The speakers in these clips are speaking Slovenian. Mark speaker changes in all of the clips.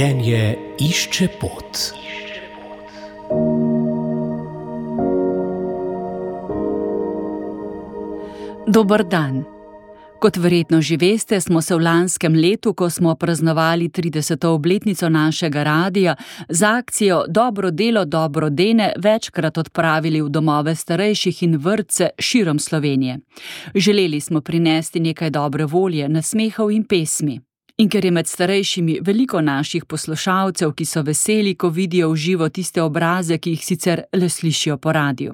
Speaker 1: Življenje išče pot.
Speaker 2: Dober dan. Kot verjetno že veste, smo se v lanskem letu, ko smo praznovali 30. obletnico našega radia, z akcijo Dobro delo, dobro dene večkrat odpravili v domove starejših in vrtce širom Slovenije. Želeli smo prinesti nekaj dobre volje, nasmehov in pesmi. In ker je med starejšimi veliko naših poslušalcev, ki so veseli, ko vidijo v živo tiste obraze, ki jih sicer le slišijo po radiu.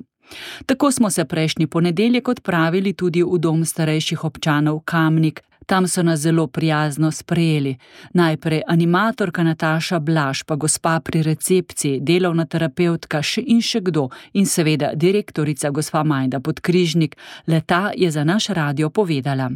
Speaker 2: Tako smo se prejšnji ponedeljek odpravili tudi v dom starejših občanov Kamnik. Tam so nas zelo prijazno sprejeli. Najprej animatorka Nataša Blaž, pa gospa pri recepciji, delovna terapevtka in še kdo in seveda direktorica gospa Majda Podkrižnik. Le-ta je za naš radio povedala.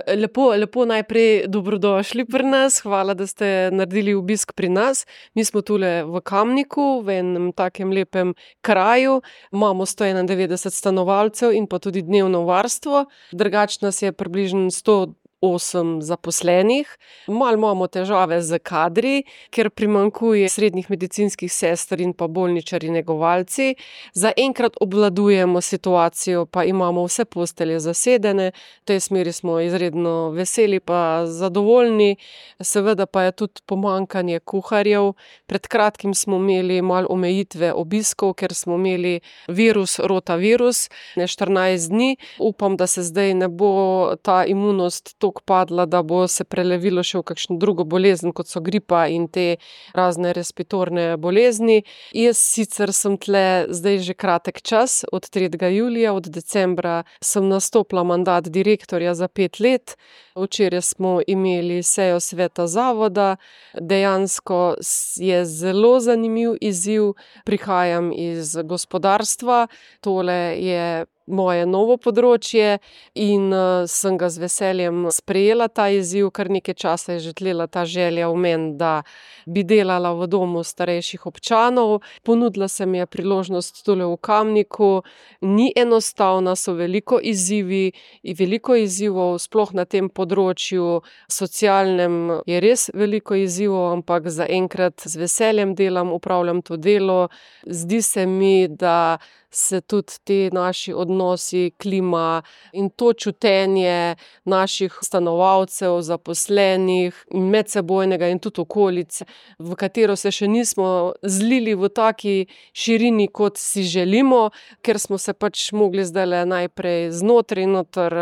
Speaker 3: Lepo najprej dobrodošli pri nas, hvala, da ste naredili obisk pri nas. Mi smo tule v Kamniku, v enem takem lepem kraju, imamo 191 stanovalcev in pa tudi dnevno varstvo, drugače nas je približno 108 zaposlenih. Malo imamo težave z kadri, ker primanjkuje srednjih medicinskih sester in pa bolničarji negovalci. Zaenkrat obvladujemo situacijo, pa imamo vse postelje zasedene. V tej smeri smo izredno veseli pa zadovoljni. Seveda pa je tudi pomanjkanje kuharjev. Pred kratkim smo imeli malo omejitve obiskov, ker smo imeli rotavirus, 14 dni. Upam, da se zdaj ne bo ta imunost toliko padla, da bo se prelevilo še v kakšno drugo bolezen, kot so gripa in te razne respiratorne bolezni. Jaz sicer sem tle zdaj že kratek čas, od 3. julija, od decembra sem nastopila mandat direktorja za 5 let. Včeraj smo imeli sejo sveta zavoda. Dejansko je zelo zanimiv izziv. Prihajam iz gospodarstva. Tole je moje novo področje in sem ga z veseljem sprejela ta izziv. Kar nekaj časa je že tlela ta želja v meni, da bi delala v domu starejših občanov. Ponudila se mi je priložnost tule v Kamniku. Ni enostavna, so veliko izzivov, sploh na tem področju socialnem je res veliko izzivov, ampak zaenkrat z veseljem delam, upravljam to delo. Zdi se mi, da se tudi ti naši odnosi, klima in to čutenje naših stanovalcev, zaposlenih in medsebojnega in tudi okolice, v katero se še nismo zlili v taki širini, kot si želimo, ker smo se pač mogli zdajle najprej noter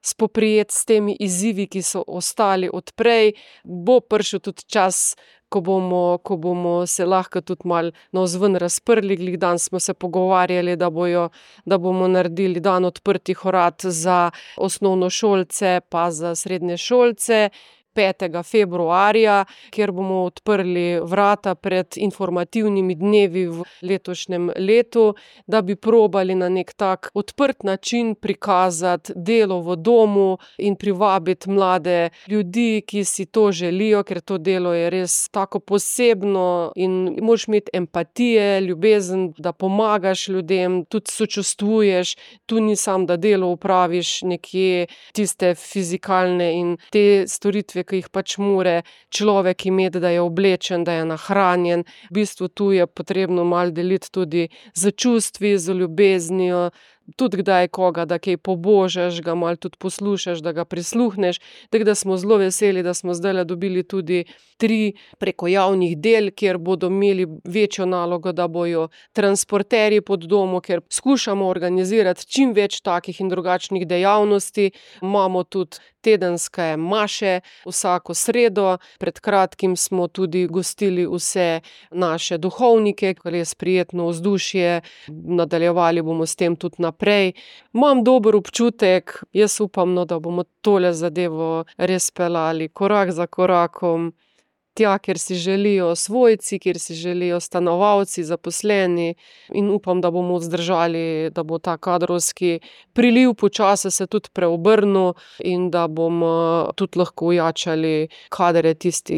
Speaker 3: spoprijeti s temi izzivi, ki so ostali odprej. Bo prišel tudi čas, ko bomo se lahko tudi malo navzven razprli. Glih danes smo se pogovarjali, da bomo naredili dan odprtih vrat za osnovnošolce pa za srednješolce 5. februarja, kjer bomo odprli vrata pred informativnimi dnevi v letošnjem letu, da bi probali na nek tak odprt način prikazati delo v domu in privabiti mlade ljudi, ki si to želijo, ker to delo je res tako posebno in moraš imeti empatije, ljubezen, da pomagaš ljudem, tudi sočustvuješ. Tu ni samo, da delo opraviš nekje tiste fizikalne in te storitve, ki jih pač mora človek imeti, da je oblečen, da je nahranjen. V bistvu tu je potrebno malo deliti tudi z čustvi, z ljubeznijo, tudi kdaj koga, da kaj pobožaš, ga malo tudi poslušaš, da ga prisluhneš. Tako da smo zelo veseli, da smo zdajle dobili tudi 3 preko javnih del, kjer bodo imeli večjo nalogo, da bojo transporterji pod domu, ker skušamo organizirati čim več takih in drugačnih dejavnosti. Imamo tudi tedenske maše vsako sredo. Pred kratkim smo tudi gostili vse naše duhovnike, ker je prijetno vzdušje. Nadaljevali bomo s tem tudi naprej. Imam dober občutek, jaz upam, da bomo tole zadevo res peljali korak za korakom. Tja, kjer si želijo svojci, kjer si želijo stanovalci, zaposleni, in upam, da bomo vzdržali, da bo ta kadrovski priliv počasi se tudi preobrnil in da bomo tudi lahko ojačali kadre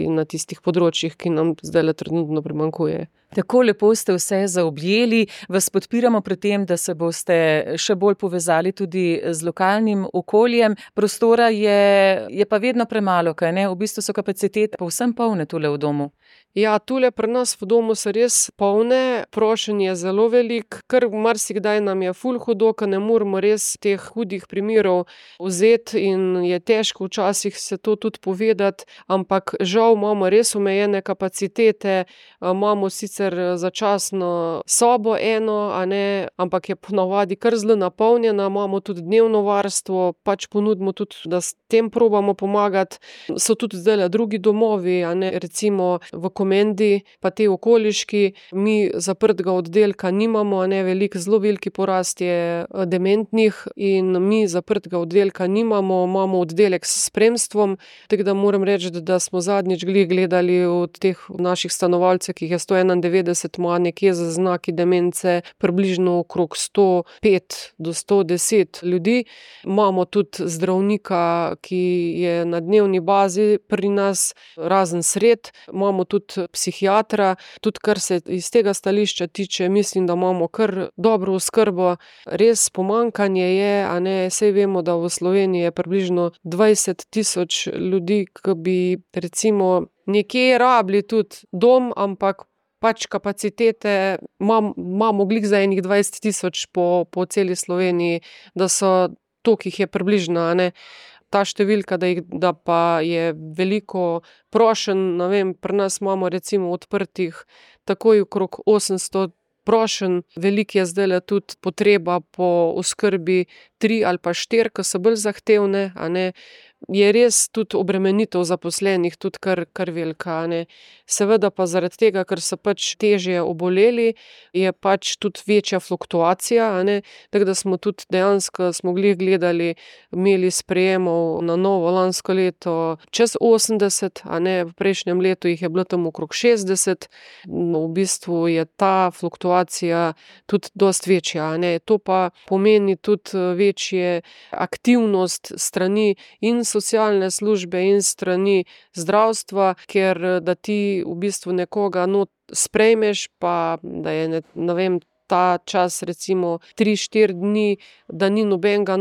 Speaker 3: na tistih področjih, ki nam zdajle trenutno primanjkuje.
Speaker 4: Tako lepo ste vse zaobjeli, vas podpiramo pri tem, da se boste še bolj povezali tudi z lokalnim okoljem. Prostora je pa vedno premalo, kaj ne? V bistvu so kapacitete povsem polne tule v domu.
Speaker 3: Ja, tule pri nas v domu so res polne, prošenj je zelo velik, ker marsikdaj nam je ful hudo, ker ne moremo res teh hudih primerov vzeti in je težko včasih se to tudi povedati, ampak žal imamo res omejene kapacitete, imamo sicer začasno sobo eno, a ne, ampak je ponavadi kar zelo napolnjena, imamo tudi dnevno varstvo, pač ponudimo tudi, da s tem probamo pomagati. So tudi zdajle drugi domovi, a ne, recimo v Komendi, pa te okoliški, mi zaprtega oddelka nimamo, a ne, zelo veliki porast je dementnih in mi zaprtega oddelka nimamo, imamo oddelek s spremstvom, tako da moram reči, da smo zadnjič gledali od teh naših stanovalcev, ki jih je 191, ima nekje z znaki demence približno okrog 105 do 110 ljudi. Imamo tudi zdravnika, ki je na dnevni bazi pri nas, razen sred, imamo tudi psihiatra, tudi kar se iz tega stališča tiče, mislim, da imamo kar dobro oskrbo. Res pomanjkanje je, a ne, saj vemo, da v Sloveniji je približno 20,000 ljudi, ki bi recimo nekje rabili tudi dom, ampak pač kapacitete imamo glih za enih 20,000 po celi Sloveniji, da so toliko jih je približno, a ne. Ta številka, da pa je veliko prošenj, ne vem, pri nas imamo recimo odprtih takoj okrog 800 prošenj, veliko je zdajle tudi potreba po oskrbi 3 ali pa 4, ki so bolj zahtevne, a ne. Je res tudi obremenitev zaposlenih tudi kar velika, a ne. Seveda pa zaradi tega, ker so pač težje oboleli, je pač tudi večja fluktuacija, a ne. Tako da smo tudi dejansko, smo glih gledali, imeli sprejemov na novo lansko leto čez 80, a ne, v prejšnjem letu jih je bilo tam okrog 60. V bistvu je ta fluktuacija tudi dosti večja, a ne. To pa pomeni tudi večje aktivnost strani in socialne službe in strani zdravstva, ker da ti v bistvu nekoga sprejmeš, pa da je, ne vem, ta čas recimo 3-4 dni, da ni nobenega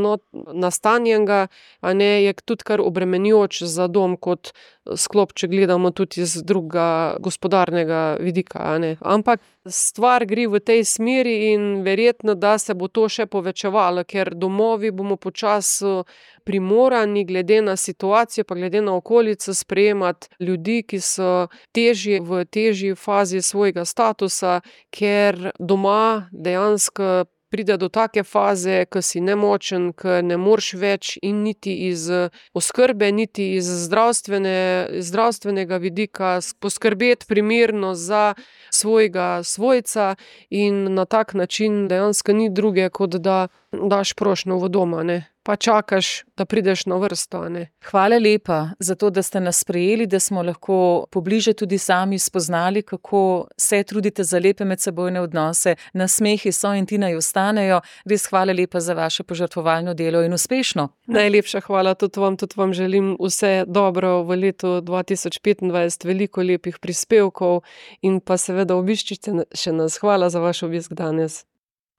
Speaker 3: nastanjenega, a ne, je tudi kar obremenjujoč za dom kot sklop, če gledamo tudi iz drugega gospodarnega vidika, a ne. Ampak stvar gre v tej smeri in verjetno, da se bo to še povečevalo, ker domovi bomo počasi primorani glede na situacijo pa glede na okolico sprejemati ljudi, ki so v težji fazi svojega statusa, ker doma dejansko pride do take faze, ko si nemočen, ko ne moreš več in niti iz oskrbe, niti iz zdravstvenega vidika poskrbeti primerno za svojega svojca in na tak način dejansko ni druge, kot da daš prošnjo v doma, ne. Pa čakaš, da prideš na vrsto, a ne.
Speaker 4: Hvala lepa za to, da ste nas sprejeli, da smo lahko pobliže tudi sami spoznali, kako se trudite za lepe medsebojne odnose. Nasmehi so in ti naj ostanejo. Res hvala lepa za vaše požrtvovalno delo in uspešno.
Speaker 3: Najlepša hvala tudi vam želim vse dobro v letu 2025, veliko lepih prispevkov in pa seveda obiščite še nas. Hvala za vaš obisk danes.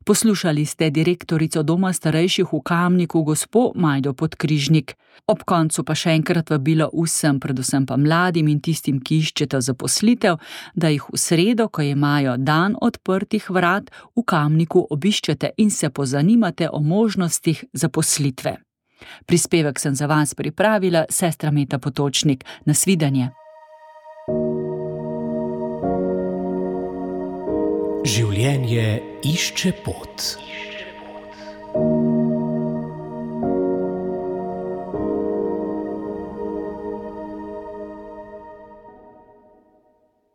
Speaker 2: Poslušali ste direktorico Doma starejših v Kamniku, gospo Majdo Podkrižnik. Ob koncu pa še enkrat vabilo vsem, predvsem pa mladim in tistim, ki iščete zaposlitev, da jih v sredo, ko imajo dan odprtih vrat, v Kamniku obiščete in se pozanimate o možnostih zaposlitve. Prispevek sem za vas pripravila sestra Meta Potočnik. Nasvidenje.
Speaker 1: Življenje išče pot.